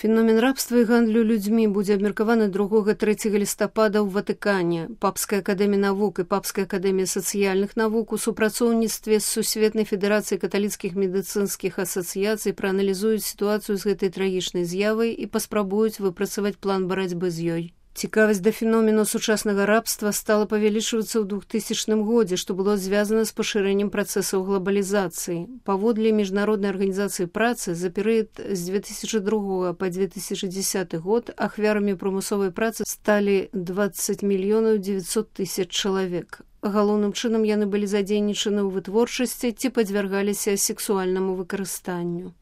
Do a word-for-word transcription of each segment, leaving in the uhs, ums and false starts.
Феномен рабства і гандлю людзьмі будзе абмеркаваны другога-трэцяга лістапада ў Ватыкане. Папская акадэмія навук і Папская акадэмія сацыяльных навук у супрацоўніцтве з Сусветнай федэрацыяй каталіцкіх медыцынскіх асацыяцый прааналізуюць сітуацыю з гэтай трагічнай з'явай і паспрабуюць выпрацаваць план барацьбы з ёй. Цікавасць да феномену сучаснага рабства стала павялічвацца ў двухтысячным годзе, што было звязана з пашырэннем працэсаў глобалізацыі. Паводле міжнароднай арганізацыі працы за перыяд з дзве тысячы другога па дзве тысячы дзесяты год ахвярамі прымусовай працы сталі дваццаць мільёнаў дзевяцьсот тысяч чалавек. Галоўным чынам яны былі задзейнічаны ў вытворчасці ці падвяргаліся сексуальнаму выкарыстанню.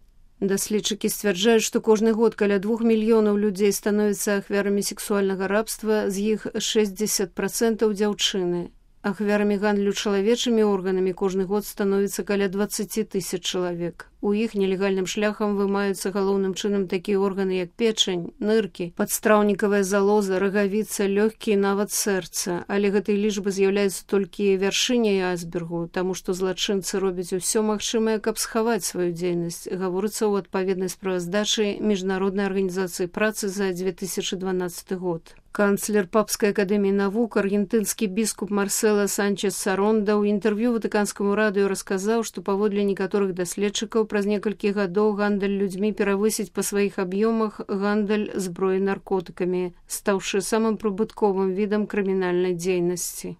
Даследчыкі сцвярджаюць, што кожны год каля двух мільёнаў людзей становяцца ахвярамі сексуальнага рабства, з іх шэсцьдзесят працэнтаў дзяўчыны. Ахвярамі гандлю чалавечымі органамі кожны год становіцца каля дваццаць тысяч чалавек. У іх нелегальным шляхам вымаюцца галоўным чынам такія органы, як печань, ныркі, падстраўнікавая залоза, рагавіца, лёгкія, нават сэрца. Але гэтай лічбы з'яўляецца толькі вяршыняй айсбергу, таму што злачынцы робяць усё магчымае, каб схаваць сваю дзейнасць, гаворыцца ў адпаведнай справаздачы Міжнароднай арганізацыі працы за дзве тысячы дванаццаты год. Канцлер Папскай акадэміі навук, аргентынскі біскуп Марсела Санчес Саронда ў інтэрв'ю ватыканскаму радыё расказаў, што паводле некаторых даследчыкаў праз некалькі гадоў гандаль людзьмі перавысіць па сваіх аб'ёмах гандаль зброі наркотыкамі, стаўшы самым прыбытковым відам крымінальнай дзейнасці.